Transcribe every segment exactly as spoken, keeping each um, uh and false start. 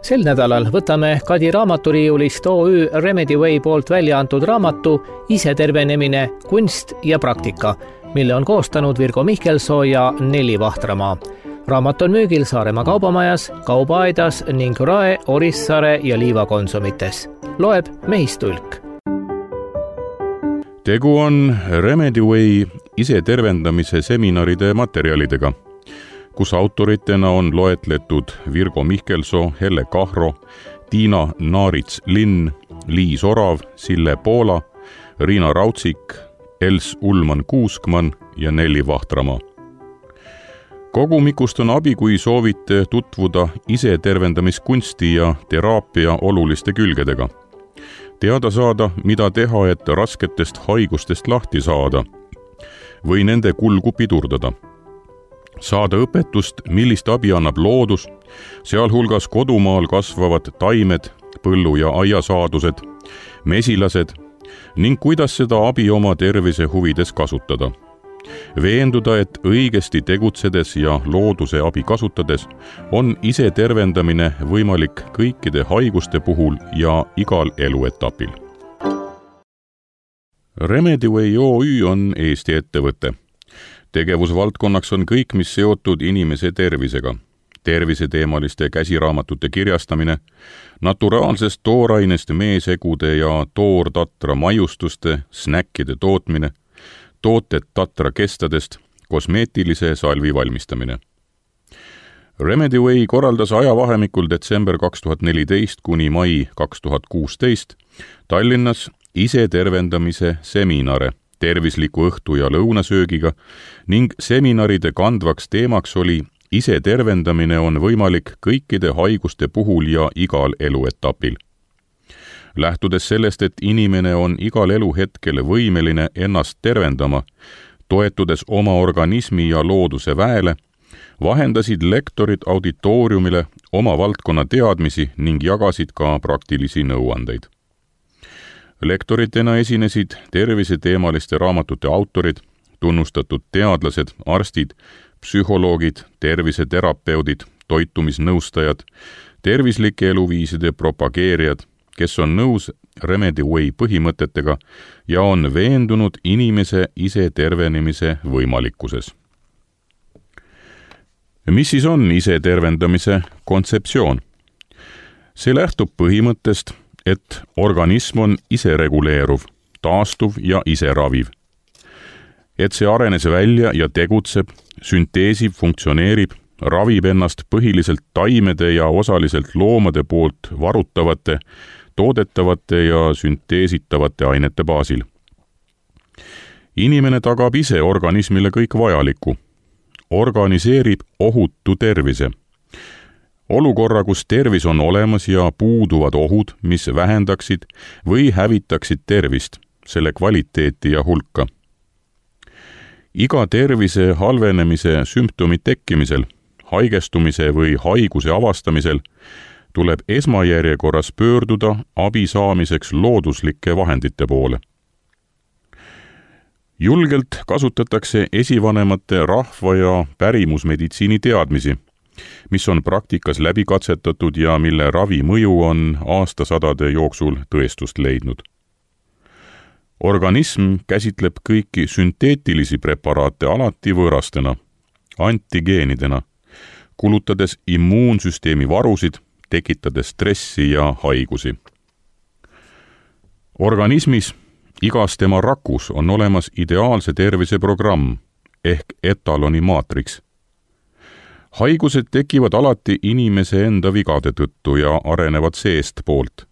Sel nädalal võtame Kadi raamaturiiulist O Ü Remedyway poolt välja antud raamatu Isetervenemine, kunst ja praktika, mille on koostanud Virgo Mihkelsoo ja Nelli Vahtramaa. Raamat on müügil Saaremaa kaubamajas, Kaubaaedas ning Rae, Orissaare ja Liiva konsumites. Loeb Mehistulk. Tegu on Remedyway isetervendamise seminaride materjalidega, kus autoritena on loetletud Virgo Mihkelsoo, Helle Kahro, Tiina Naarits-Linn, Liis Orav, Sille Poola, Riina Raudsik, Els Ullmann-Kuuskmann ja Nelli Vahtramaa. Kogumikust on abi, kui soovite tutvuda isetervendamiskunsti ja teraapia oluliste külgedega. Teada saada, mida teha, et rasketest haigustest lahti saada või nende kulgu pidurdada. Saada õpetust, millist abi annab loodus, sealhulgas kodumaal kasvavad taimed, põllu- ja aiasaadused, mesilased ning kuidas seda abi oma tervise huvides kasutada. Veenduda, et õigesti tegutsedes ja looduse abi kasutades on isetervendamine võimalik kõikide haiguste puhul ja igal eluetapil. Remedyway O Ü on Eesti ettevõte. Tegevusvaldkonnaks on kõik, mis seotud inimese tervisega. Terviseteemaliste käsiraamatute kirjastamine, naturaalsest toorainest meesegude ja toortatra maiustuste, snäkkide tootmine, tooted tatra kestadest, kosmeetilise salvi valmistamine. Remedyway korraldas ajavahemikul detsember kaks tuhat neliteist kuni mai kaks tuhat kuusteist Tallinnas isetervendamise seminare tervisliku õhtu- ja lõunasöögiga ning seminaride kandvaks teemaks oli isetervendamine on võimalik kõikide haiguste puhul ja igal eluetapil. Lähtudes sellest, et inimene on igal eluhetkel võimeline ennast tervendama, toetudes oma organismi ja looduse väele, vahendasid lektorid auditooriumile oma valdkonna teadmisi ning jagasid ka praktilisi nõuandeid. Lektoritena esinesid terviseteemaliste raamatute autorid, tunnustatud teadlased, arstid, psühholoogid, terviseterapeudid, toitumisnõustajad, tervislike eluviiside propageerijad, kes on nõus Remedyway põhimõtetega ja on veendunud inimese isetervenemise võimalikkuses. Mis siis on isetervendamise kontseptsioon? See lähtub põhimõttest, et organism on isereguleeruv, taastuv ja iseraviv. Et see arenes välja ja tegutseb, sünteesib, funktsioneerib, ravib ennast põhiliselt taimede ja osaliselt loomade poolt varutavate, toodetavate ja sünteesitavate ainete baasil. Inimene tagab ise organismile kõik vajaliku. Organiseerib ohutu tervise. Olukorra, kus tervis on olemas ja puuduvad ohud, mis vähendaksid või hävitaksid tervist, selle kvaliteeti ja hulka. Iga tervise halvenemise sümptomi tekkimisel, haigestumise või haiguse avastamisel tuleb esmajärjekorras pöörduda abi saamiseks looduslike vahendite poole. Julgelt kasutatakse esivanemate rahva- ja pärimusmeditsiini teadmisi, mis on praktikas läbi katsetatud ja mille ravi mõju on aastasadade jooksul tõestust leidnud. Organism käsitleb kõiki sünteetilisi preparaate alati võõrastena, antigeenidena, kulutades immuunsüsteemi varusid, tekitades stressi ja haigusi. Organismis, igas tema rakus on olemas ideaalse tervise programm ehk etaloni maatriks. Haigused tekivad alati inimese enda vigade tõttu ja arenevad seest poolt.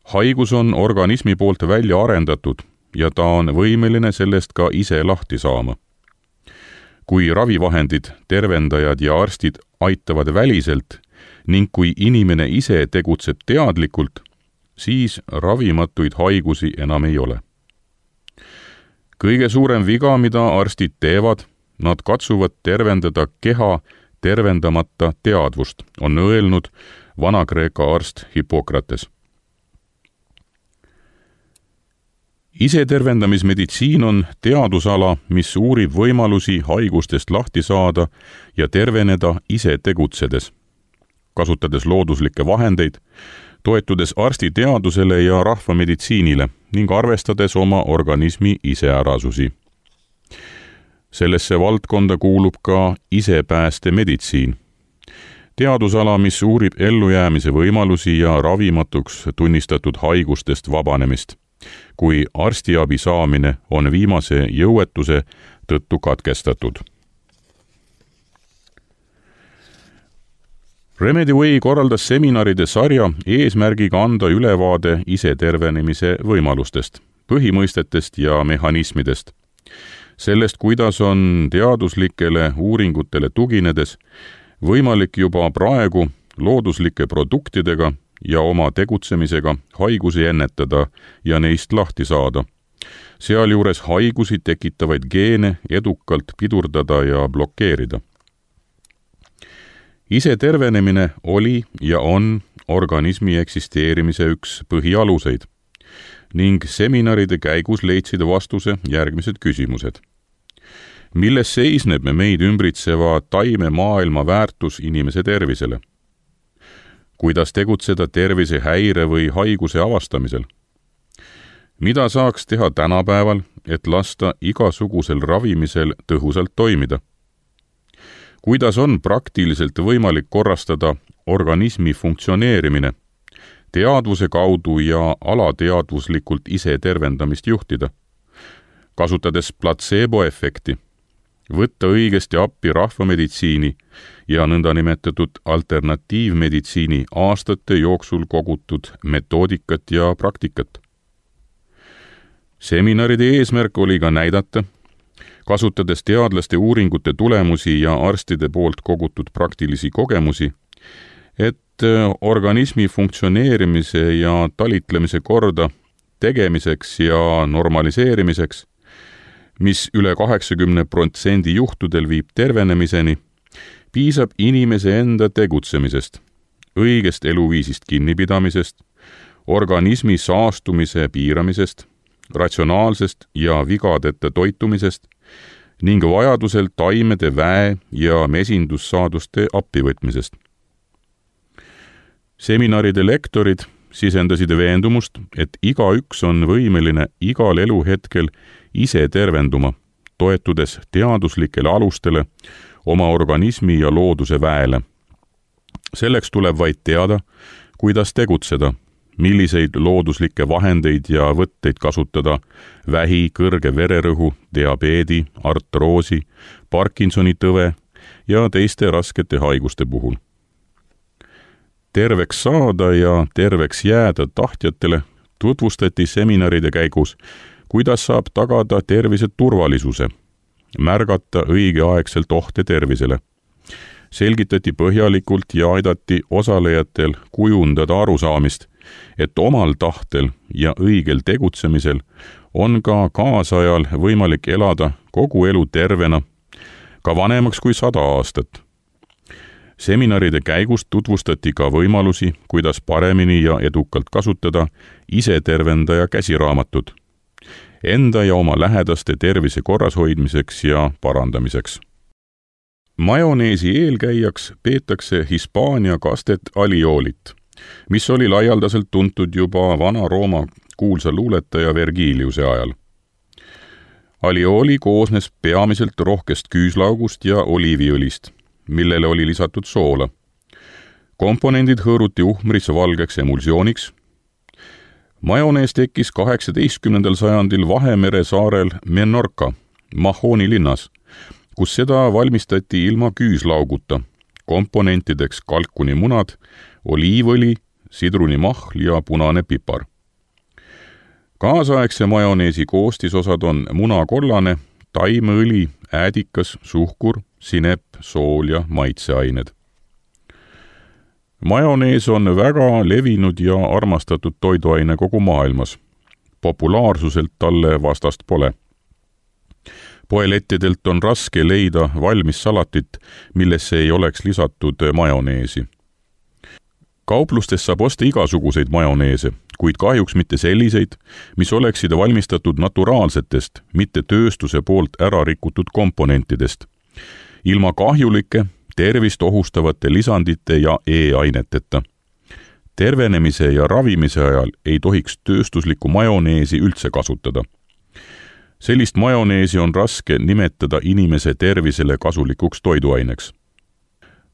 Haigus on organismi poolt välja arendatud ja ta on võimeline sellest ka ise lahti saama. Kui ravivahendid, tervendajad ja arstid aitavad väliselt ning kui inimene ise tegutseb teadlikult, siis ravimatuid haigusi enam ei ole. Kõige suurem viga, mida arstid teevad, nad katsuvad tervendada keha tervendamata teadvust, on öelnud Vana-Kreeka arst Hippokrates. Isetervendamismeditsiin on teadusala, mis uurib võimalusi haigustest lahti saada ja terveneda ise tegutsedes. kasutades looduslikke vahendeid, toetudes arstiteadusele ja rahvameditsiinile ning arvestades oma organismi iseärasusi. Sellesse valdkonda kuulub ka isepäästemeditsiin. Teadusala, mis uurib ellujäämise võimalusi ja ravimatuks tunnistatud haigustest vabanemist, kui arstiabi saamine on viimase jõuetuse tõttu katkestatud. Remediway korraldas seminaride sarja eesmärgiga anda ülevaade isetervenemise võimalustest, põhimõistetest ja mehhanismidest. Sellest, kuidas on teaduslikele uuringutele tuginedes võimalik juba praegu looduslike produktidega ja oma tegutsemisega haigusi ennetada ja neist lahti saada. Sealjuures haigusi tekitavaid geene edukalt pidurdada ja blokeerida. Isetervenemine oli ja on organismi eksisteerimise üks põhialuseid ning seminaride käigus leidsid vastuse järgmised küsimused. Milles seisneb meid ümbritseva taime maailma väärtus inimese tervisele? Kuidas tegutseda tervise häire või haiguse avastamisel? Mida saaks teha tänapäeval, et lasta igasugusel ravimisel tõhusalt toimida? Kuidas on praktiliselt võimalik korrastada organismi funktsioneerimine, teadvuse kaudu ja alateadvuslikult ise tervendamist juhtida, kasutades platseeboefekti, võtta õigesti appi rahvameditsiini ja nõndanimetatud alternatiivmeditsiini aastate jooksul kogutud metoodikat ja praktikat. Seminaride eesmärk oli ka näidata, kasutades teadlaste uuringute tulemusi ja arstide poolt kogutud praktilisi kogemusi, et organismi funktsioneerimise ja talitlemise korda tegemiseks ja normaliseerimiseks, mis üle kaheksakümne protsendi juhtudel viib tervenemiseni, piisab inimese enda tegutsemisest, õigest eluviisist kinnipidamisest, organismi saastumise piiramisest, ratsionaalsest ja vigadeta toitumisest ning vajadusel taimede väe ja mesindussaaduste appivõtmisest. Seminaride lektorid sisendasid veendumust, et igaüks on võimeline igal eluhetkel ise tervenduma, toetudes teaduslikele alustele oma organismi ja looduse väele. Selleks tuleb vaid teada, kuidas tegutseda, milliseid looduslikke vahendeid ja võtteid kasutada vähi, kõrge vererõhu, diabeedi, artroosi, Parkinsoni tõve ja teiste raskete haiguste puhul. Terveks saada ja terveks jääda tahtjatele tutvustati seminaride käigus, kuidas saab tagada tervise turvalisuse, märgata õigeaegselt ohte tervisele. Selgitati põhjalikult ja aidati osalejatel kujundada arusaamist, et omal tahtel ja õigel tegutsemisel on ka kaasajal võimalik elada kogu elu tervena, ka vanemaks kui sada aastat. Seminaride käigus tutvustati ka võimalusi, kuidas paremini ja edukalt kasutada isetervendaja käsiraamatut, enda ja oma lähedaste tervise korrashoidmiseks ja parandamiseks. Majoneesi eelkäijaks peetakse Hispaania kastet aliolit, mis oli laialdaselt tuntud juba Vana-Rooma kuulsa luuletaja Vergiliuse ajal. Alioli koosnes peamiselt rohkest küüslaugust ja oliiviõlist, millele oli lisatud soola. Komponendid hõõruti uhmris valgeks emulsiooniks. Majonees tekkis kaheksateistkümnendal sajandil Vahemere saarel Menorca, Mahoni linnas, kus seda valmistati ilma küüslauguta, komponentideks kalkunimunad, oliivõli, sidrunimahl ja punane pipar. Kaasaegse majoneesi koostisosad on munakollane, taimeõli, äädikas, suhkur, sinep, sool ja maitseained. Majonees on väga levinud ja armastatud toiduaine kogu maailmas. Populaarsuselt talle vastast pole. Poelettidelt on raske leida valmis salatit, millesse ei oleks lisatud majoneesi. Kauplustes saab osta igasuguseid majoneese, kuid kahjuks mitte selliseid, mis oleksid valmistatud naturaalsetest, mitte tööstuse poolt ära rikutud komponentidest. Ilma kahjulike, tervist ohustavate lisandite ja E-aineteta. Tervenemise ja ravimise ajal ei tohiks tööstuslikku majoneesi üldse kasutada. Sellist majoneesi on raske nimetada inimese tervisele kasulikuks toiduaineks.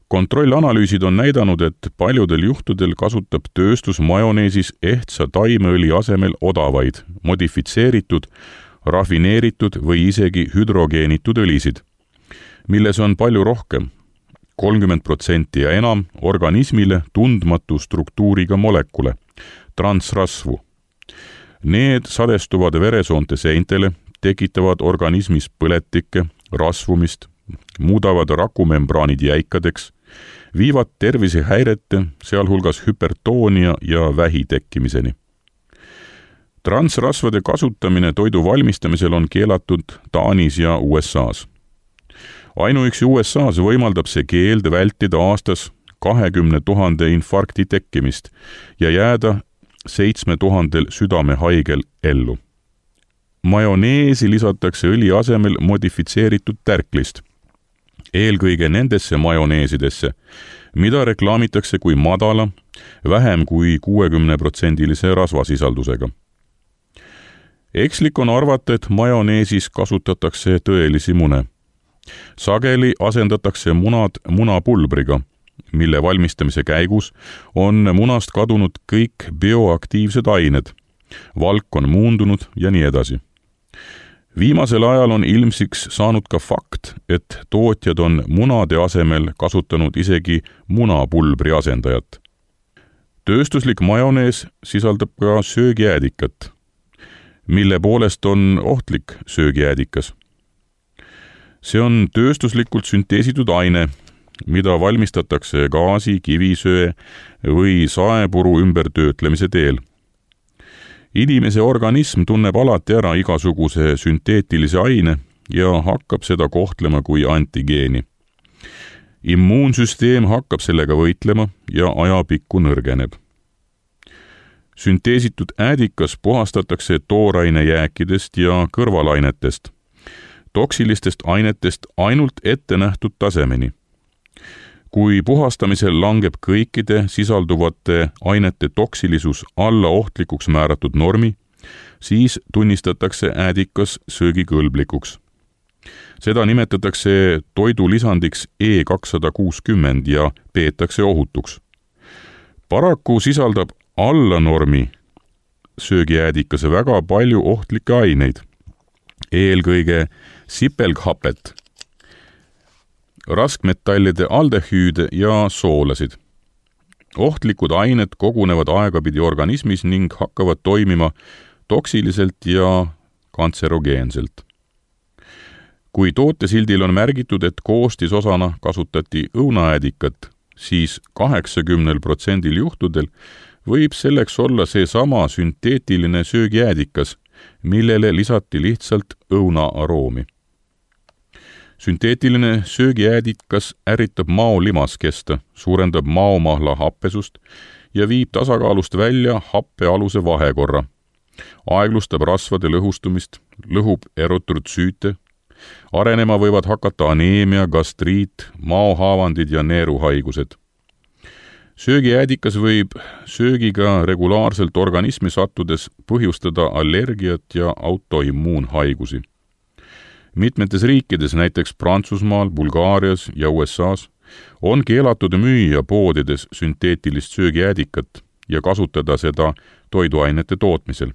Kontrollanalüüsid on näidanud, et paljudel juhtudel kasutab tööstus majoneesis ehtsa taimeõli asemel odavaid, modifitseeritud, rafineeritud või isegi hüdrogeenitud õlisid, milles on palju rohkem, kolmkümmend protsenti ja enam organismile tundmatu struktuuriga molekule, transrasvu. Need sadestuvad veresoonte seintele, tekitavad organismis põletikke, rasvumist, muudavad rakumembraanid jäikadeks, viivad tervisehäirete, sealhulgas hüpertoonia ja vähi tekkimiseni. Transrasvade kasutamine toidu valmistamisel on keelatud Taanis ja U S A's. Ainuüksi U S A's võimaldab see keeld vältida aastas kahekümne tuhande infarkti tekkimist ja jääda seitsme tuhandel südamehaigel ellu. Majoneesi lisatakse õli asemel modifitseeritud tärklist, eelkõige nendesse majoneesidesse, mida reklaamitakse kui madala, vähem kui kuuekümne protsendilise rasvasisaldusega. Ekslik on arvata, et majoneesis kasutatakse tõelisi mune. Sageli asendatakse munad munapulbriga, mille valmistamise käigus on munast kadunud kõik bioaktiivsed ained, valk on muundunud ja nii edasi. Viimasel ajal on ilmsiks saanud ka fakt, et tootjad on munade asemel kasutanud isegi munapulbri asendajat. Tööstuslik majonees sisaldab ka söögiäädikat, mille poolest on ohtlik söögiäädikas. See on tööstuslikult sünteesitud aine, mida valmistatakse gaasi, kivisöe või saepuru ümbertöötlemise teel. Inimese organism tunneb alati ära igasuguse sünteetilise aine ja hakkab seda kohtlema kui antigeeni. Immuunsüsteem hakkab sellega võitlema ja ajapikku nõrgeneb. Sünteesitud äädikas puhastatakse tooraine jääkidest ja kõrvalainetest, toksilistest ainetest ainult ette nähtud tasemeni. Kui puhastamisel langeb kõikide sisalduvate ainete toksilisus alla ohtlikuks määratud normi, siis tunnistatakse äädikas söögikõlblikuks. Seda nimetatakse toidulisandiks E kakssada kuuskümmend ja peetakse ohutuks. Paraku sisaldab alla normi söögiäädikas väga palju ohtlikke aineid, eelkõige sipelghapet, raskmetallide aldehüüde ja soolasid. Ohtlikud ained kogunevad aegapidi organismis ning hakkavad toimima toksiliselt ja kantserogeenselt. Kui tootesildil on märgitud, et koostisosana kasutati õunaäädikat, siis kaheksakümnel protsendil juhtudel võib selleks olla seesama sünteetiline söögiäädikas, millele lisati lihtsalt õuna aroomi. Sünteetiline söögiäädikas ärritab mao limaskesta, suurendab maomahla happesust ja viib tasakaalust välja happealuse vahekorra. Aeglustab rasvade lõhustumist, lõhub erytrootsüüte, arenema võivad hakata aneemia, gastriit, maohaavandid ja neeruhaigused. Söögiäädikas võib söögiga regulaarselt organismi sattudes põhjustada allergiat ja autoimmuunhaigusi. Mitmetes riikides, näiteks Prantsusmaal, Bulgaarias ja U S A's, on keelatud müüa poodides sünteetilist söögiäädikat ja kasutada seda toiduainete tootmisel.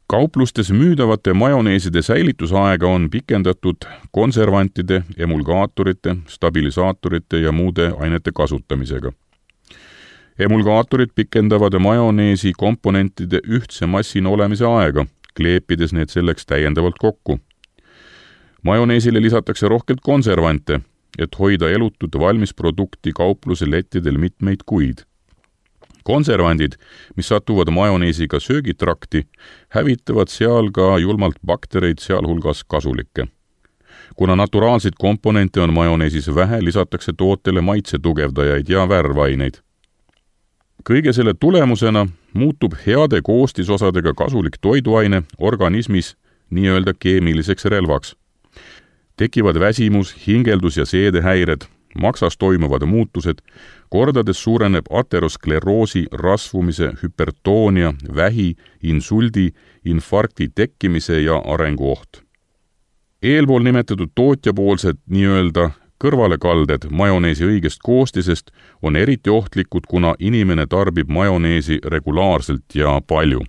Kauplustes müüdavate majoneeside säilitusaega on pikendatud konservantide, emulgaatorite, stabilisaatorite ja muude ainete kasutamisega. Emulgaatorid pikendavad majoneesi komponentide ühtse massina olemise aega, kleepides need selleks täiendavalt kokku. Majoneesile lisatakse rohkelt konservante, et hoida elutut valmisprodukti kaupluse lettidel mitmeid kuid. Konservandid, mis satuvad majoneesiga söögitrakti, hävitavad seal ka julmalt baktereid, sealhulgas kasulikke. Kuna naturaalseid komponente on majoneesis vähe, lisatakse tootele maitsetugevdajaid ja värvaineid. Kõige selle tulemusena muutub heade koostisosadega kasulik toiduaine organismis nii-öelda keemiliseks relvaks. Tekivad väsimus, hingeldus ja seedehäired, maksas toimuvad muutused, kordades suureneb ateroskleroosi, rasvumise, hüpertoonia, vähi, insuldi, infarkti tekkimise ja arenguoht. Eelpool nimetatud tootjapoolsed nii-öelda kõrvalekalded majoneesi õigest koostisest on eriti ohtlikud, kuna inimene tarbib majoneesi regulaarselt ja palju.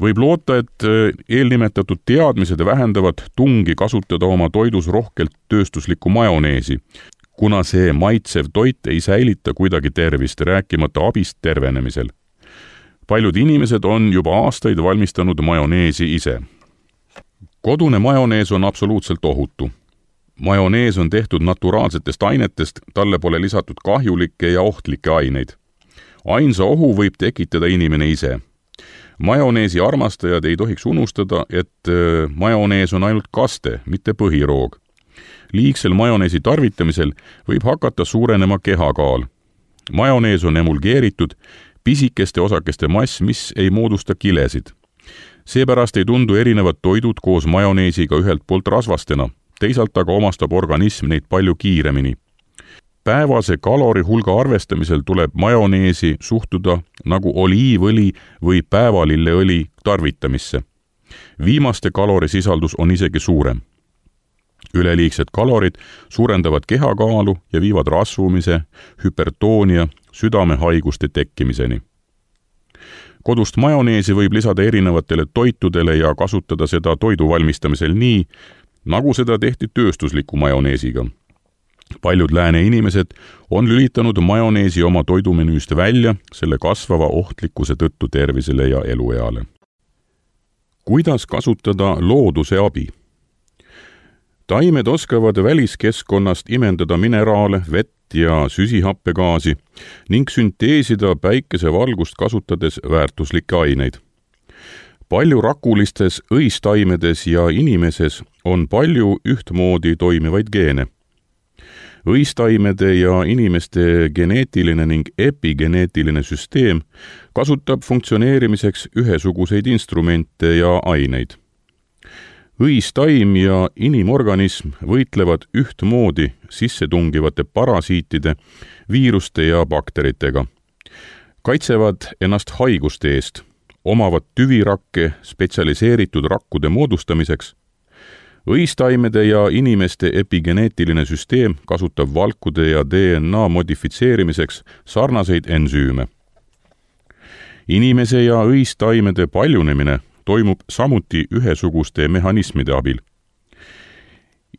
Võib loota, et eelnimetatud teadmised vähendavad tungi kasutada oma toidus rohkelt tööstuslikku majoneesi, kuna see maitsev toit ei säilita kuidagi tervist, rääkimata abist tervenemisel. Paljud inimesed on juba aastaid valmistanud majoneesi ise. Kodune majonees on absoluutselt ohutu. Majonees on tehtud naturaalsetest ainetest, talle pole lisatud kahjulikke ja ohtlikke aineid. Ainsa ohu võib tekitada inimene ise. Majoneesi armastajad ei tohiks unustada, et majonees on ainult kaste, mitte põhiroog. Liigsel majoneesi tarvitamisel võib hakata suurenema kehakaal. Majonees on emulgeeritud, pisikeste osakeste mass, mis ei moodusta kilesid. Seepärast ei tundu erinevad toidud koos majoneesiga ühelt poolt rasvastena, teisalt aga omastab organism neid palju kiiremini. Päevase kalori hulga arvestamisel tuleb majoneesi suhtuda nagu oliivõli või päevalilleõli tarvitamisse. Viimaste kalorisisaldus on isegi suurem. Üleliigsed kalorid suurendavad kehakaalu ja viivad rasvumise, hüpertoonia, südamehaiguste tekkimiseni. Kodust majoneesi võib lisada erinevatele toitudele ja kasutada seda toidu valmistamisel nii, nagu seda tehti tööstusliku majoneesiga. Paljud lääne inimesed on lülitanud majoneesi oma toidumenüüst välja selle kasvava ohtlikkuse tõttu tervisele ja elueale. Kuidas kasutada looduse abi? Taimed oskavad väliskeskkonnast imendada mineraale, vett ja süsihappegaasi ning sünteesida päikesevalgust kasutades väärtuslikke aineid. Palju rakulistes õistaimedes ja inimeses on palju ühtmoodi toimivaid geene. Õistaimede ja inimeste geneetiline ning epigeneetiline süsteem kasutab funktsioneerimiseks ühesuguseid instrumente ja aineid. Õistaim ja inimorganism võitlevad ühtmoodi sissetungivate parasiitide, viiruste ja bakteritega. Kaitsevad ennast haiguste eest, omavad tüvirakke spetsialiseeritud rakkude moodustamiseks. Õistaimede ja inimeste epigeneetiline süsteem kasutab valkude ja D N A modifitseerimiseks sarnaseid ensüüme. Inimese ja õistaimede paljunemine toimub samuti ühesuguste mehhanismide abil.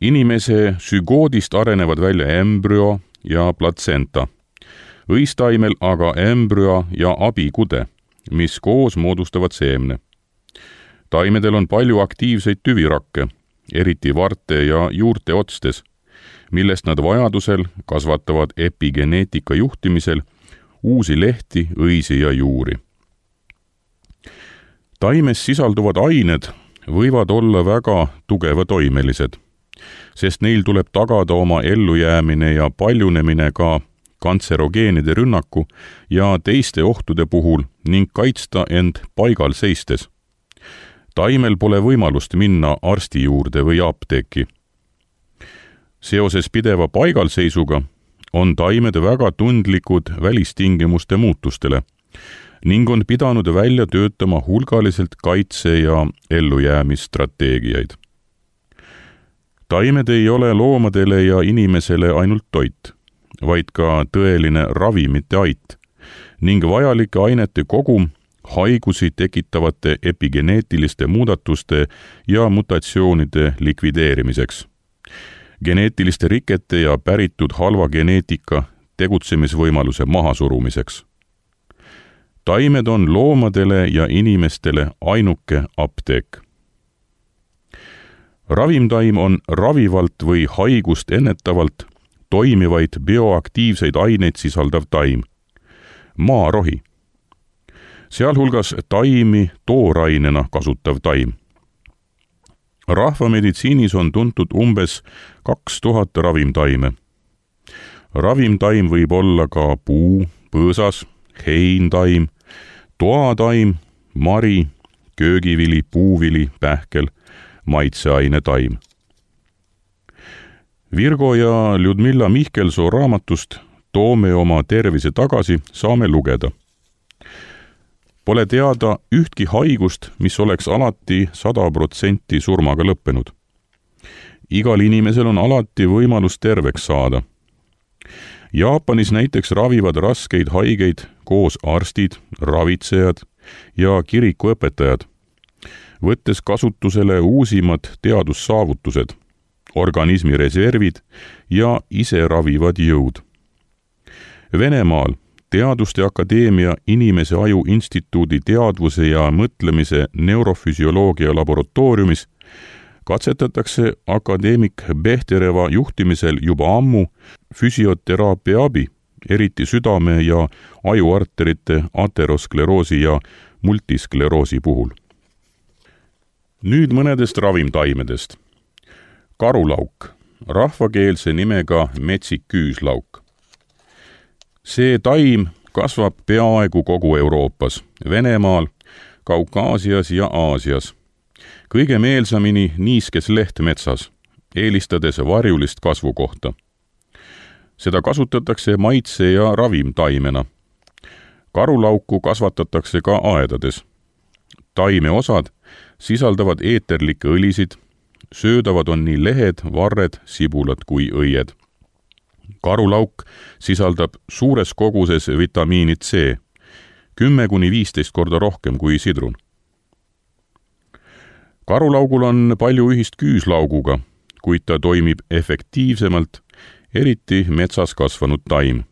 Inimese sügoodist arenevad välja embrüo ja platsenta. Õistaimel aga embrüo ja abikude, mis koos moodustavad seemne. Taimedel on palju aktiivseid tüvirakke, eriti varte ja juurte otstes, millest nad vajadusel kasvatavad epigeneetika juhtimisel uusi lehti, õisi ja juuri. Taimes sisalduvad ained võivad olla väga tugevatoimelised, sest neil tuleb tagada oma ellujäämine ja paljunemine ka kantserogeenide rünnaku ja teiste ohtude puhul ning kaitsta end paigal seistes. Taimel pole võimalust minna arsti juurde või apteeki. Seoses pideva paigalseisuga on taimed väga tundlikud välistingimuste muutustele ning on pidanud välja töötama hulgaliselt kaitse- ja ellujäämisstrateegiaid. Taimed ei ole loomadele ja inimesele ainult toit, vaid ka tõeline ravimite ait ning vajalike ainete kogum haigusi tekitavate epigeneetiliste muudatuste ja mutatsioonide likvideerimiseks, geneetiliste rikete ja päritud halva geneetika tegutsemisvõimaluse mahasurumiseks. Taimed on loomadele ja inimestele ainuke apteek. Ravimtaim on ravivalt või haigust ennetavalt toimivaid bioaktiivseid aineid sisaldav taim, maarohi, sealhulgas taimi toorainena kasutav taim. Rahvameditsiinis on tuntud umbes kaks tuhat ravimtaime. Ravimtaim võib olla ka puu, põõsas, heintaim, toataim, mari, köögivili, puuvili, pähkel, maitseaine taim. Virgo ja Ljudmilla Mihkelsoo raamatust Toome oma tervise tagasi saame lugeda. Pole teada ühtki haigust, mis oleks alati sada protsenti surmaga lõppenud. Igal inimesel on alati võimalus terveks saada. Jaapanis näiteks ravivad raskeid haigeid koos arstid, ravitsejad ja kirikuõpetajad, võttes kasutusele uusimad teadussaavutused, organismi reservid ja ise ravivad jõud. Venemaal Teaduste Akadeemia Inimese Aju Instituudi teadvuse ja mõtlemise neurofüsioloogia laboratooriumis katsetatakse akadeemik Behtereva juhtimisel juba ammu füsioteraapia abi, eriti südame- ja ajuarterite ateroskleroosi ja multiskleroosi puhul. Nüüd mõnedest ravimtaimedest. Karulauk, rahvakeelse nimega metsik küüslauk. See taim kasvab peaaegu kogu Euroopas, Venemaal, Kaukaasias ja Aasias. Kõige meelsamini niiskes lehtmetsas, eelistades varjulist kasvukohta. Seda kasutatakse maitse- ja ravimtaimena. Karulauku kasvatatakse ka aedades. Taime osad sisaldavad eeterlikke õlisid, söödavad on nii lehed, varred, sibulad kui õied. Karulauk sisaldab suures koguses vitamiini C, kümme kuni viisteist korda rohkem kui sidrun. Karulaugul on palju ühist küüslauguga, kuid ta toimib efektiivsemalt, eriti metsas kasvanud taim.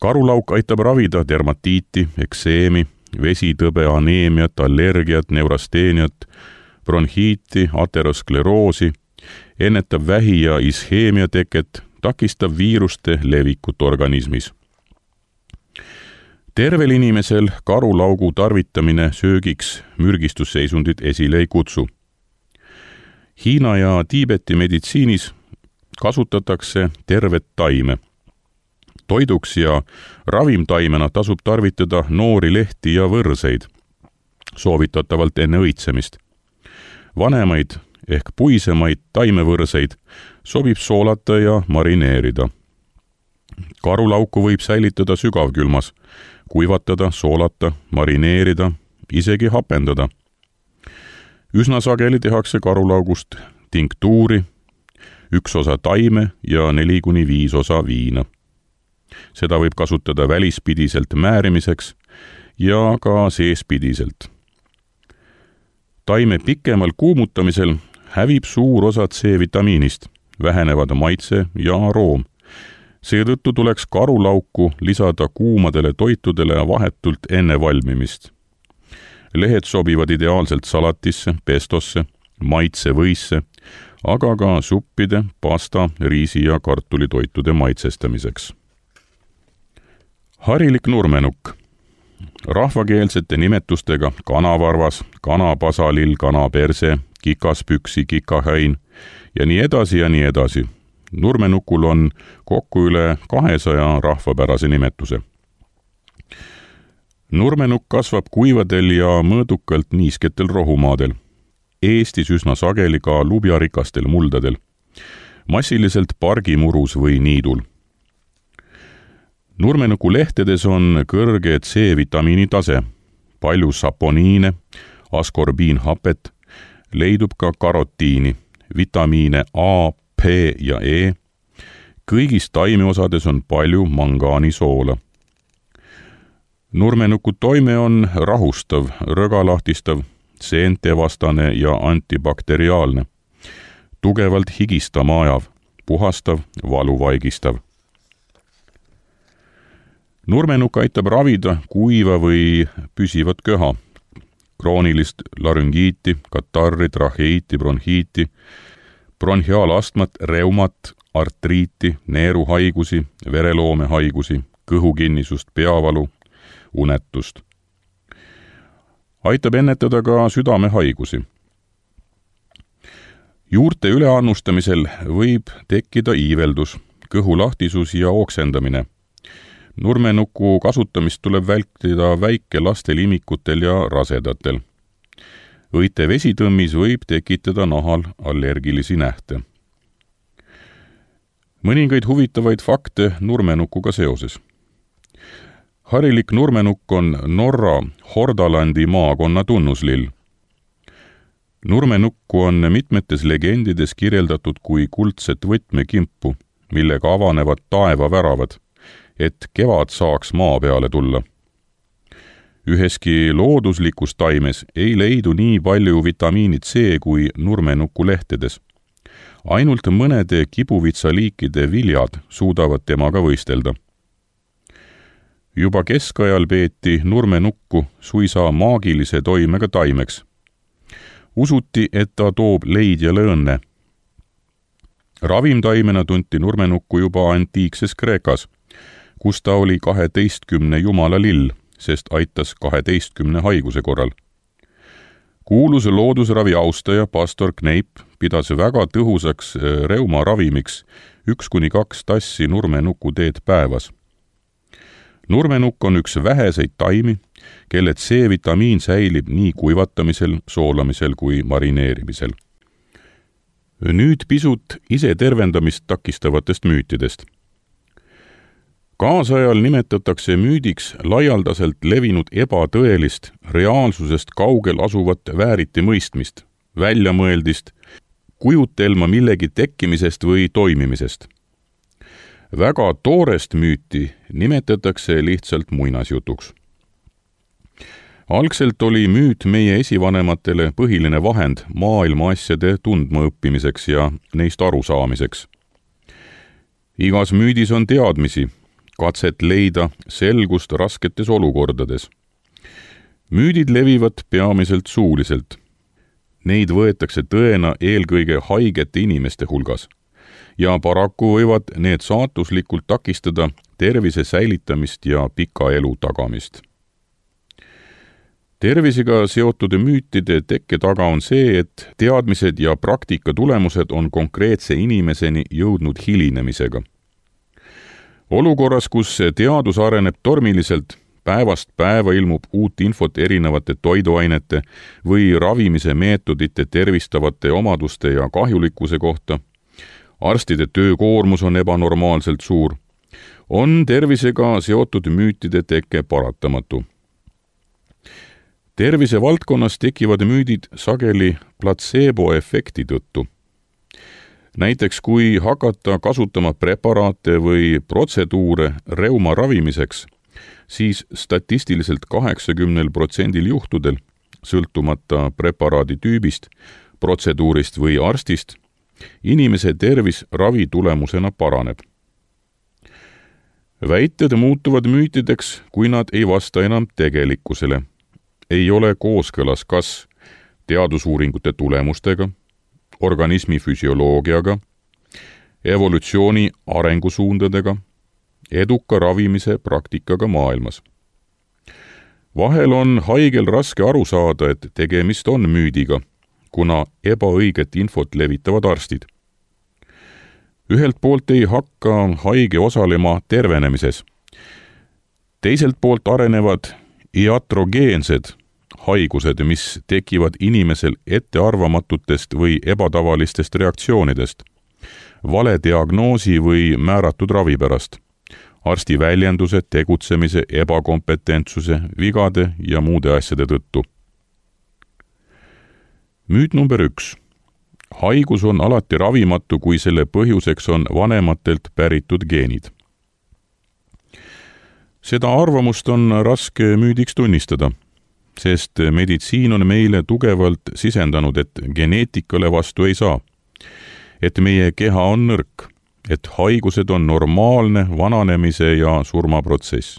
Karulauk aitab ravida dermatiiti, ekseemi, vesitõbe, aneemiat, allergiat, neurasteeniat, bronhiiti, ateroskleroosi, ennetab vähi- ja isheemia teket, takistab viiruste levikut organismis. Tervel inimesel karulaugu tarvitamine söögiks mürgistusseisundit esile ei kutsu. Hiina ja Tiibeti meditsiinis kasutatakse tervet taime. Toiduks ja ravimtaimena tasub tarvitada noori lehti ja võrseid, soovitatavalt enne õitsemist. Vanemaid ehk puisemaid taimevõrseid sobib soolata ja marineerida. Karulauku võib säilitada sügavkülmas, kuivatada, soolata, marineerida, isegi hapendada. Üsna sageli tehakse karulaugust tinktuuri, üks osa taime ja neli kuni viis osa viina. Seda võib kasutada välispidiselt määrimiseks ja ka seespidiselt. Taime pikemal kuumutamisel hävib suur osa C-vitamiinist, vähenevad maitse ja aroom. Seetõttu tuleks karulauku lisada kuumadele toitudele vahetult enne valmimist. Lehed sobivad ideaalselt salatisse, pestosse, maitsevõisse, aga ka suppide, pasta, riisi ja kartulitoitude maitsestamiseks. Harilik nurmenukk. Rahvakeelsete nimetustega kanavarvas, kanapasalill, kanaperse, kikaspüksi, kikahäin ja nii edasi ja nii edasi. Nurmenukul on kokku üle kahesaja rahvapärase nimetuse. Nurmenukk kasvab kuivadel ja mõõdukalt niisketel rohumaadel. Eestis üsna sageli ka lubjarikastel muldadel. Massiliselt pargimurus või niidul. Nurmenuku lehtedes on kõrge C-vitamiini tase, palju saponiine, askorbiinhapet, leidub ka karotiini, vitamiine A, P ja E. Kõigis taimeosades on palju mangaanisoola. Nurmenuku toime on rahustav, rõgalahtistav, seentevastane ja antibakteriaalne, tugevalt higistama ajav, puhastav, valuvaigistav. Nurmenukk aitab ravida kuiva või püsivat köha, kroonilist larüngiiti, katarri, traheiiti, bronhiiti, bronhiaalastmat, reumat, artriiti, neeruhaigusi, vereloomehaigusi, kõhukinnisust, peavalu, unetust. Aitab ennetada ka südamehaigusi. Juurte üleannustamisel võib tekkida iiveldus, kõhulahtisus ja oksendamine. Nurmenuku kasutamist tuleb vältida väikelastel imikutel ja rasedatel. Õite vesitõmmis võib tekitada nahal allergilisi nähte. mõningaid huvitavaid fakte nurmenukuga seoses. Harilik nurmenukk on Norra Hordalandi maakonna tunnuslill. Nurmenukku on mitmetes legendides kirjeldatud kui kuldset võtmekimpu, millega avanevad taevaväravad, et kevad saaks maa peale tulla. Üheski looduslikus taimes ei leidu nii palju vitamiini C kui nurmenuku lehtedes. Ainult mõnede kibuvitsaliikide viljad suudavad temaga võistelda. Juba keskajal peeti nurmenukku suisa maagilise toimega taimeks. Usuti, et ta toob leidjale õnne. Ravimtaimena tunti nurmenukku juba antiikses Kreekas, kus ta oli kaheteistkümne jumala lill, sest aitas kaheteistkümne haiguse korral. Kuulus loodusravi austaja pastor Kneip pidas väga tõhusaks reuma ravimiks üks kuni kaks tassi nurmenuku teed päevas. Nurmenukk on üks väheseid taimi, kelle C-vitamiin säilib nii kuivatamisel, soolamisel kui marineerimisel. Nüüd pisut ise tervendamist takistavatest müütidest. Kaasajal nimetatakse müüdiks laialdaselt levinud ebatõelist, reaalsusest kaugel asuvat vääriti mõistmist, väljamõeldist, kujutelma millegi tekkimisest või toimimisest. Väga toorest müüti nimetatakse lihtsalt muinasjutuks. Algselt oli müüt meie esivanematele põhiline vahend maailma asjade tundma õppimiseks ja neist arusaamiseks. Igas müüdis on teadmisi, katset leida selgust rasketes olukordades. Müüdid levivad peamiselt suuliselt. Neid võetakse tõena eelkõige haigete inimeste hulgas ja paraku võivad need saatuslikult takistada tervise säilitamist ja pika elu tagamist. Tervisega seotud müütide tekke taga on see, et teadmised ja praktika tulemused on konkreetse inimeseni jõudnud hilinemisega. Olukorras, kus teadus areneb tormiliselt, päevast päeva ilmub uut infot erinevate toiduainete või ravimise meetodite tervistavate omaduste ja kahjulikkuse kohta, arstide töökoormus on ebanormaalselt suur, on tervisega seotud müütide teke paratamatu. Tervise valdkonnas tekivad müüdid sageli platseebo-efekti tõttu. Näiteks kui hakata kasutama preparaate või protseduure reuma ravimiseks, siis statistiliselt kaheksakümnel protsendil juhtudel, sõltumata preparaadi tüübist, protseduurist või arstist, inimese tervis ravi tulemusena paraneb. Väited muutuvad müütideks, kui nad ei vasta enam tegelikkusele. Ei ole kooskõlas kas teadusuuringute tulemustega, organismi füsioloogiaga, evolutsiooni arengusuundadega, eduka ravimise praktikaga maailmas. Vahel on haigel raske aru saada, et tegemist on müüdiga, kuna ebaõiget infot levitavad arstid. Ühelt poolt ei hakka haige osalema tervenemises. Teiselt poolt arenevad iatrogeensed haigused, mis tekivad inimesel ettearvamatutest või ebatavalistest reaktsioonidest, vale diagnoosi või määratud ravi pärast, arsti väljenduse, tegutsemise, ebakompetentsuse, vigade ja muude asjade tõttu. Müüt number üks. Haigus on alati ravimatu, kui selle põhjuseks on vanematelt päritud geenid. Seda arvamust on raske müüdiks tunnistada, sest meditsiin on meile tugevalt sisendanud, et geneetikale vastu ei saa, et meie keha on nõrk, et haigused on normaalne vananemise ja surmaprotsess.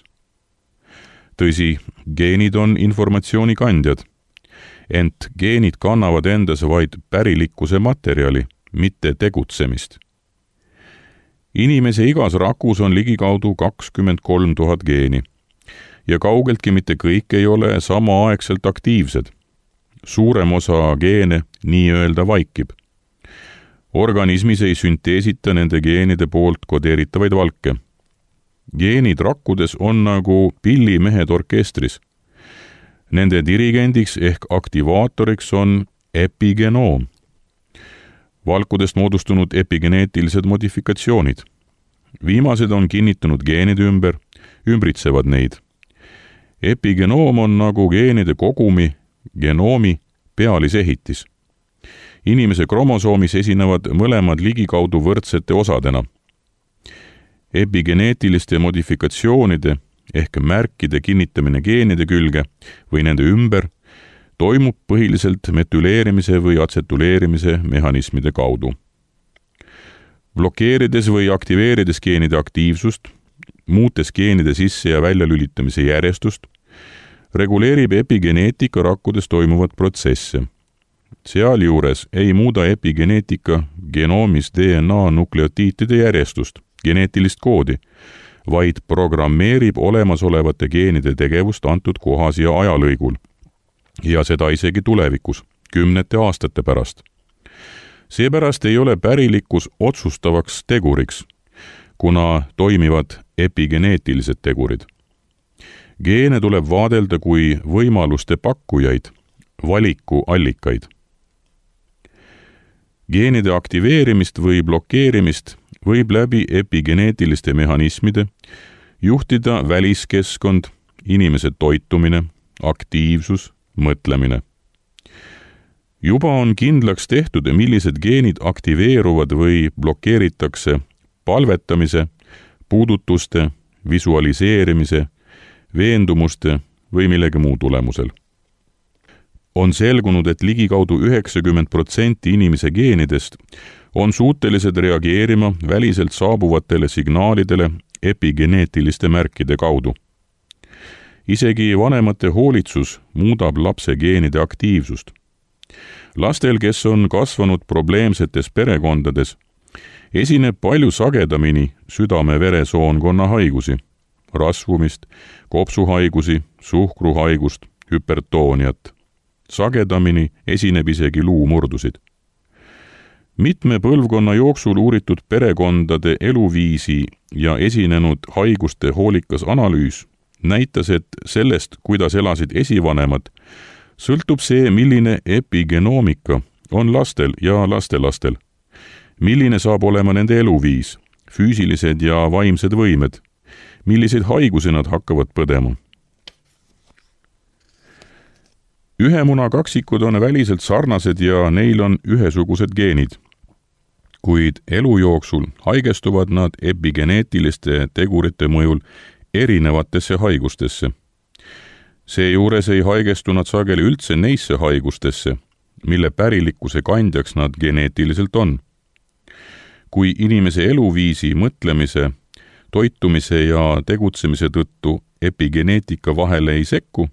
Tõsi, geenid on informatsiooni kandjad, ent geenid kannavad endas vaid pärilikkuse materjali, mitte tegutsemist. Inimese igas rakus on ligikaudu kakskümmend kolm tuhat geeni ja kaugeltki mitte kõik ei ole samaaegselt aktiivsed. Suurem osa geene nii-öelda vaikib. Organismis ei sünteesita nende geenide poolt kodeeritavaid valke. Geenid rakkudes on nagu pillimehed orkestris. Nende dirigendiks ehk aktivaatoriks on epigenoom. valkudest moodustunud epigeneetilised modifikatsioonid. Viimased on kinnitunud geenide ümber, ümbritsevad neid. Epigenoom on nagu geenide kogumi, genoomi pealisehitis. Inimese kromosoomis esinevad mõlemad ligikaudu võrdsete osadena. Epigeneetiliste modifikatsioonide ehk märkide kinnitamine geenide külge või nende ümber toimub põhiliselt metüleerimise või atsetuleerimise mehhanismide kaudu. Blokeerides või aktiveerides geenide aktiivsust, muutes geenide sisse- ja väljalülitamise järjestust, reguleerib epigeneetika rakkudes toimuvat protsesse. Sealjuures ei muuda epigeneetika genoomis D N A nukleotiitide järjestust, geneetilist koodi, vaid programmeerib olemasolevate geenide tegevust antud kohas ja ajalõigul. Ja seda isegi tulevikus, kümnete aastate pärast. Seepärast ei ole pärilikkus otsustavaks teguriks, kuna toimivad epigeneetilised tegurid. Geene tuleb vaadelda kui võimaluste pakkujaid, valiku allikaid. Geenide aktiveerimist või blokeerimist võib läbi epigeneetiliste mehhanismide juhtida väliskeskkond, inimese toitumine, aktiivsus, mõtlemine. Juba on kindlaks tehtud, millised geenid aktiveeruvad või blokeeritakse palvetamise, puudutuste, visualiseerimise, veendumuste või millegi muu tulemusel. On selgunud, et ligikaudu üheksakümmend protsenti inimese geenidest on suutelised reageerima väliselt saabuvatele signaalidele epigeneetiliste märkide kaudu. Isegi vanemate hoolitsus muudab lapse geenide aktiivsust. Lastel, kes on kasvanud probleemsetes perekondades, esineb palju sagedamini südame-veresoonkonna haigusi, rasvumist, kopsuhaigusi, suhkruhaigust, hüpertooniat. Sagedamini esineb isegi luumurdusid. Mitme põlvkonna jooksul uuritud perekondade eluviisi ja esinenud haiguste hoolikas analüüs näitas, et sellest, kuidas elasid esivanemad, sõltub see, milline epigenoomika on lastel ja lastelastel, milline saab olema nende eluviis, füüsilised ja vaimsed võimed, milliseid haigusi nad hakkavad põdema. Ühemuna kaksikud on väliselt sarnased ja neil on ühesugused geenid, kuid elu jooksul haigestuvad nad epigeneetiliste tegurite mõjul erinevatesse haigustesse. Seejuures ei haigestu nad sageli üldse neisse haigustesse, mille pärilikkuse kandjaks nad geneetiliselt on. Kui inimese eluviisi, mõtlemise, toitumise ja tegutsemise tõttu epigeneetika vahele ei sekku,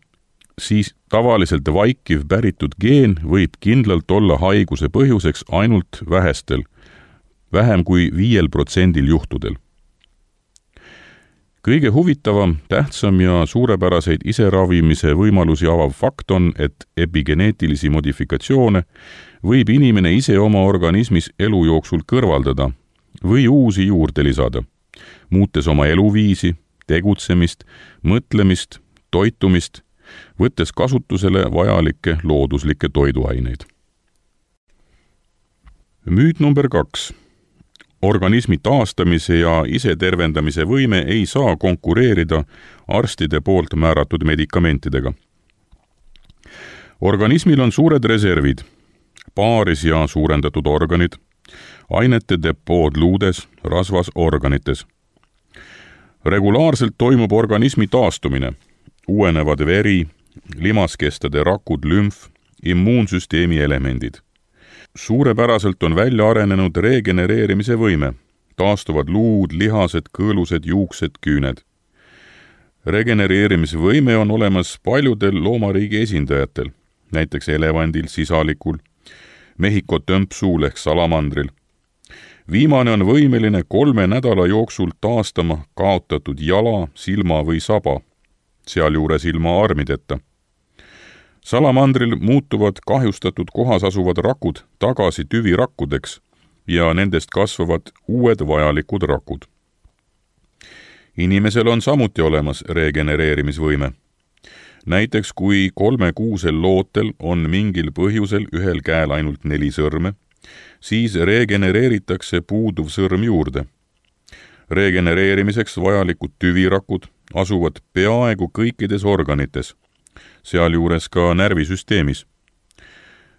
siis tavaliselt vaikiv päritud geen võib kindlalt olla haiguse põhjuseks ainult vähestel, vähem kui viiel protsendil juhtudel. Kõige huvitavam, tähtsam ja suurepäraseid iseravimise võimalusi avav fakt on, et epigeneetilisi modifikatsioone võib inimene ise oma organismis elu jooksul kõrvaldada või uusi juurde lisada, muutes oma eluviisi, tegutsemist, mõtlemist, toitumist, võttes kasutusele vajalikke looduslikke toiduaineid. Müüt number kaks. Organismi taastamise ja isetervendamise võime ei saa konkureerida arstide poolt määratud medikamentidega. Organismil on suured reservid, paaris ja suurendatud organid, ainete depood luudes, rasvas organites. Regulaarselt toimub organismi taastumine, uuenevad veri, limaskestade rakud, lümf, immuunsüsteemi elemendid. Suurepäraselt on välja arenenud regenereerimise võime, taastuvad luud, lihased, kõõlused, juuksed, küüned. Regenereerimisvõime on olemas paljudel loomariigi esindajatel, näiteks elevandil, sisalikul, Mehhiko tömpsuul ehk salamandril. Viimane on võimeline kolme nädala jooksul taastama kaotatud jala, silma või saba, sealjuures ilma armideta. Salamandril muutuvad kahjustatud kohas asuvad rakud tagasi tüvirakkudeks ja nendest kasvavad uued vajalikud rakud. Inimesel on samuti olemas regenereerimisvõime. Näiteks kui kolmekuusel lootel on mingil põhjusel ühel käel ainult neli sõrme siis regenereeritakse puuduv sõrm juurde. Regenereerimiseks vajalikud tüvirakud asuvad peaaegu kõikides organites, sealjuures ka närvisüsteemis.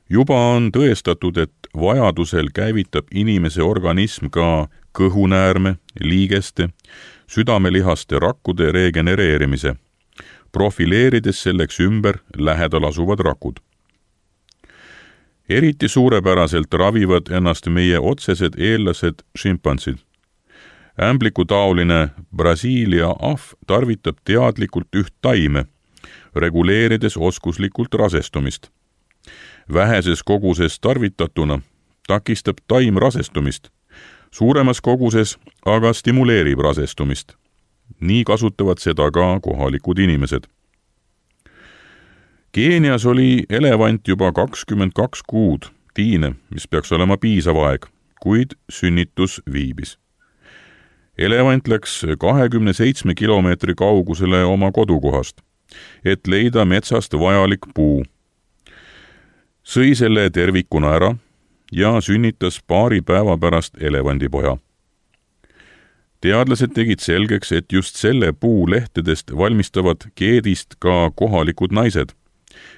Juba on tõestatud, et vajadusel käivitab inimese organism ka kõhunäärme, liigeste, südamelihaste rakkude regenereerimise, profileerides selleks ümber lähedal asuvad rakud. Eriti suurepäraselt ravivad ennast meie otsesed eellased šimpansid. Ämblikutaoline Brasiilia ahv tarvitab teadlikult üht taime, reguleerides oskuslikult rasestumist. Väheses koguses tarvitatuna takistab taim rasestumist, suuremas koguses aga stimuleerib rasestumist. Nii kasutavad seda ka kohalikud inimesed. Keenias oli elevant juba kakskümmend kaks kuud tiine, mis peaks olema piisav aeg, kuid sünnitus viibis. Elevant läks kahekümne seitsme kilomeetri kaugusele oma kodukohast, et leida metsast vajalik puu. Sõi selle tervikuna ära ja sünnitas paari päeva pärast elevandipoja. Teadlased tegid selgeks, et just selle puu lehtedest valmistavad keedist ka kohalikud naised,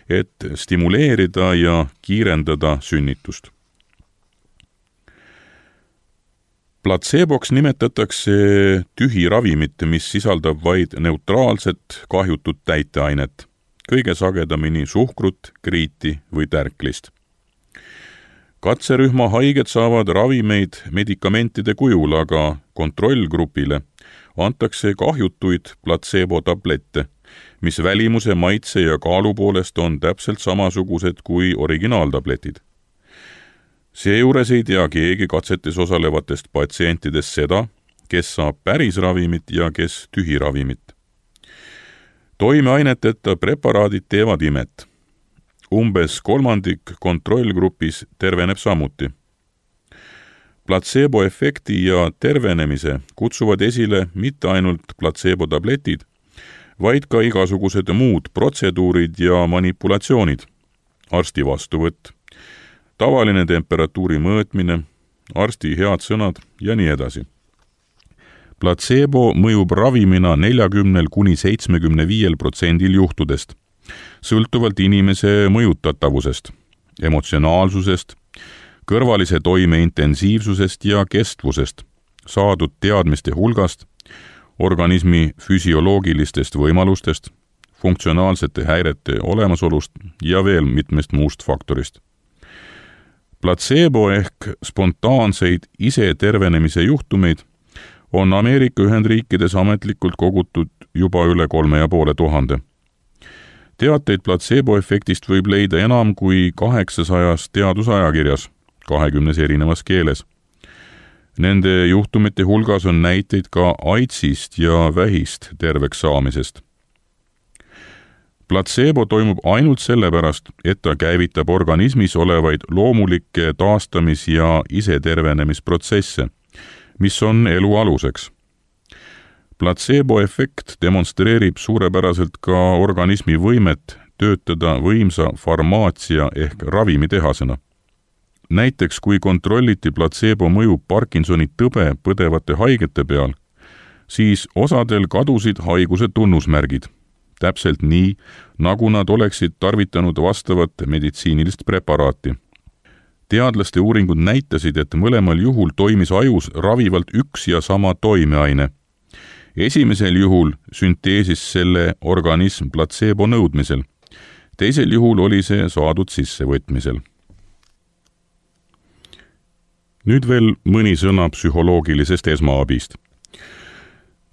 et stimuleerida ja kiirendada sünnitust. Platseboks nimetatakse tühi ravimit, mis sisaldab vaid neutraalset kahjutut täiteainet, kõige sagedamini suhkrut, kriiti või tärklist. Katserühma haiged saavad ravimeid medikamentide kujul, aga kontrollgrupile antakse kahjutuid platsebo-tablette, mis välimuse, maitse ja kaalu poolest on täpselt samasugused kui originaaltabletid. Seejuures ei tea keegi katsetes osalevatest patsientidest seda, kes saab päris ravimit ja kes tühi ravimit. Toimeaineteta preparaadid teevad imet. Umbes kolmandik kontrollgrupis terveneb samuti. Platsebo-efekti ja tervenemise kutsuvad esile mitte ainult platsebo-tabletid, vaid ka igasugused muud protseduurid ja manipulatsioonid, arsti vastuvõtt, tavaline temperatuuri mõõtmine, arsti head sõnad ja nii edasi. Platsebo mõjub ravimina neljakümnel kuni seitsmekümne viiel protsendil juhtudest, sõltuvalt inimese mõjutatavusest, emotsionaalsusest, kõrvalise toime intensiivsusest ja kestvusest, saadud teadmiste hulgast, organismi füsioloogilistest võimalustest, funktsionaalsete häirete olemasolust ja veel mitmest muust faktorist. Platsebo ehk spontaanseid ise tervenemise juhtumeid on Ameerika Ühendriikides ametlikult kogutud juba üle kolme ja poole tuhande. Teateid platsebo-efektist võib leida enam kui kaheksasajas teadusajakirjas, kahekümnes erinevas keeles. Nende juhtumite hulgas on näiteid ka AIDSist ja vähist terveks saamisest. Platsebo toimub ainult sellepärast, et ta käivitab organismis olevaid loomulikke taastamis- ja isetervenemisprotsesse, mis on elu aluseks. Platsebo-efekt demonstreerib suurepäraselt ka organismi võimet töötada võimsa farmaatsia ehk ravimitehasena. Näiteks kui kontrolliti platsebo mõju Parkinsoni tõbe põdevate haigete peal, siis osadel kadusid haiguse tunnusmärgid, täpselt nii, nagu nad oleksid tarvitanud vastavat meditsiinilist preparaati. Teadlaste uuringud näitasid, et mõlemal juhul toimis ajus ravivalt üks ja sama toimeaine. Esimesel juhul sünteesis selle organism platsebo nõudmisel, teisel juhul oli see saadud sissevõtmisel. Nüüd veel mõni sõna psühholoogilisest esmaabist.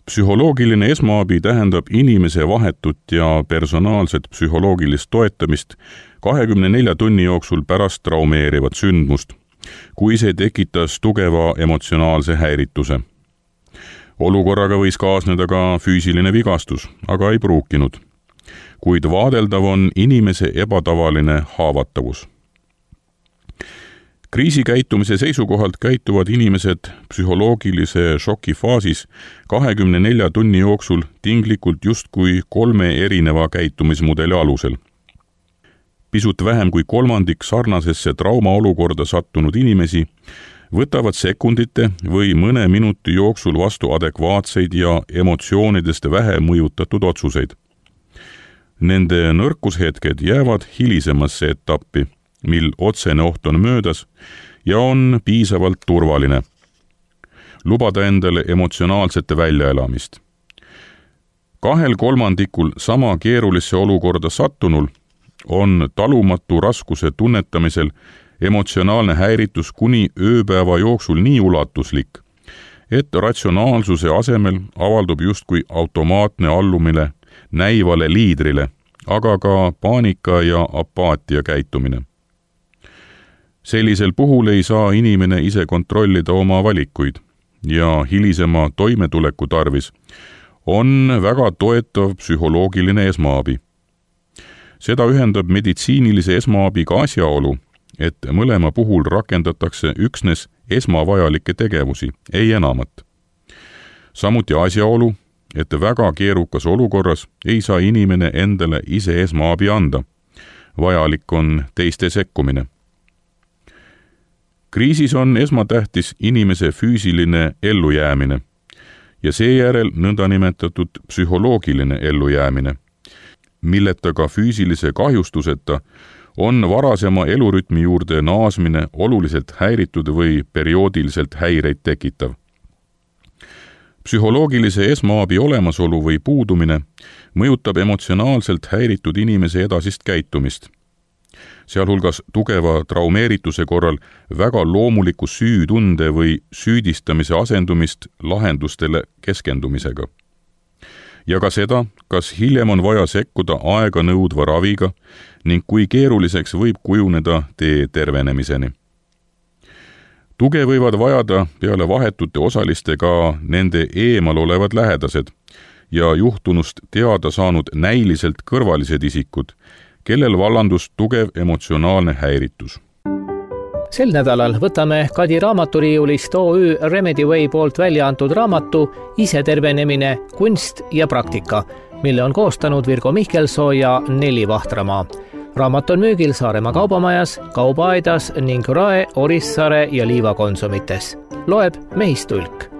Psühholoogiline esmaabi tähendab inimese vahetut ja personaalset psühholoogilist toetamist kahekümne nelja tunni jooksul pärast traumeerivat sündmust, kui see tekitas tugeva emotsionaalse häirituse. Olukorraga võis kaasneda ka füüsiline vigastus, aga ei pruukinud. Kuid vaadeldav on inimese ebatavaline haavatavus. Kriisikäitumise seisukohalt käituvad inimesed psühholoogilise šoki faasis kahekümne nelja tunni jooksul tinglikult justkui kolme erineva käitumismudeli alusel. pisut vähem kui kolmandik sarnasesse traumaolukorda sattunud inimesi võtavad sekundite või mõne minuti jooksul vastu adekvaatseid ja emotsioonidest vähe mõjutatud otsuseid. Nende nõrkushetked jäävad hilisemasse etappi, mil otsene oht on möödas ja on piisavalt turvaline. Lubada endale emotsionaalsete väljaelamist. Kahel kolmandikul sama keerulisse olukorda sattunul on talumatu raskuse tunnetamisel emotsionaalne häiritus kuni ööpäeva jooksul nii ulatuslik, et ratsionaalsuse asemel avaldub justkui automaatne allumine näivale liidrile, aga ka paanika ja apaatia käitumine. Sellisel puhul ei saa inimene ise kontrollida oma valikuid ja hilisema toimetuleku tarvis on väga toetav psühholoogiline esmaabi. Seda ühendab meditsiinilise esmaabiga asjaolu, et mõlema puhul rakendatakse üksnes esmavajalikke tegevusi, ei enamat. Samuti asjaolu, et väga keerukas olukorras ei saa inimene endale ise esmaabi anda. Vajalik on teiste sekkumine. Kriisis on esmatähtis inimese füüsiline ellujäämine ja seejärel nõndanimetatud psühholoogiline ellujäämine, milleta ka füüsilise kahjustuseta on varasema elurütmi juurde naasmine oluliselt häiritud või perioodiliselt häireid tekitav. Psühholoogilise esmaabi olemasolu või puudumine mõjutab emotsionaalselt häiritud inimese edasist käitumist, sealhulgas tugeva traumeerituse korral väga loomuliku süütunde või süüdistamise asendumist lahendustele keskendumisega. Ja ka seda, kas hiljem on vaja sekkuda aega nõudva raviga ning kui keeruliseks võib kujuneda tee tervenemiseni. Tuge võivad vajada peale vahetute osaliste ka nende eemal olevad lähedased ja juhtunust teada saanud näiliselt kõrvalised isikud, kellel vallandus tugev emotsionaalne häiritus. Sel nädalal võtame Kadi raamaturiiulist O Ü Remedyway poolt välja antud raamatu Isetervenemine, kunst ja praktika, mille on koostanud Virgo Mihkelsoo ja Neli Vahtramaa. Raamat on müügil Saaremaa kaubamajas, Kaubaaedas ning Rae, Orissaare ja Liiva konsumites. Loeb Mehistulk.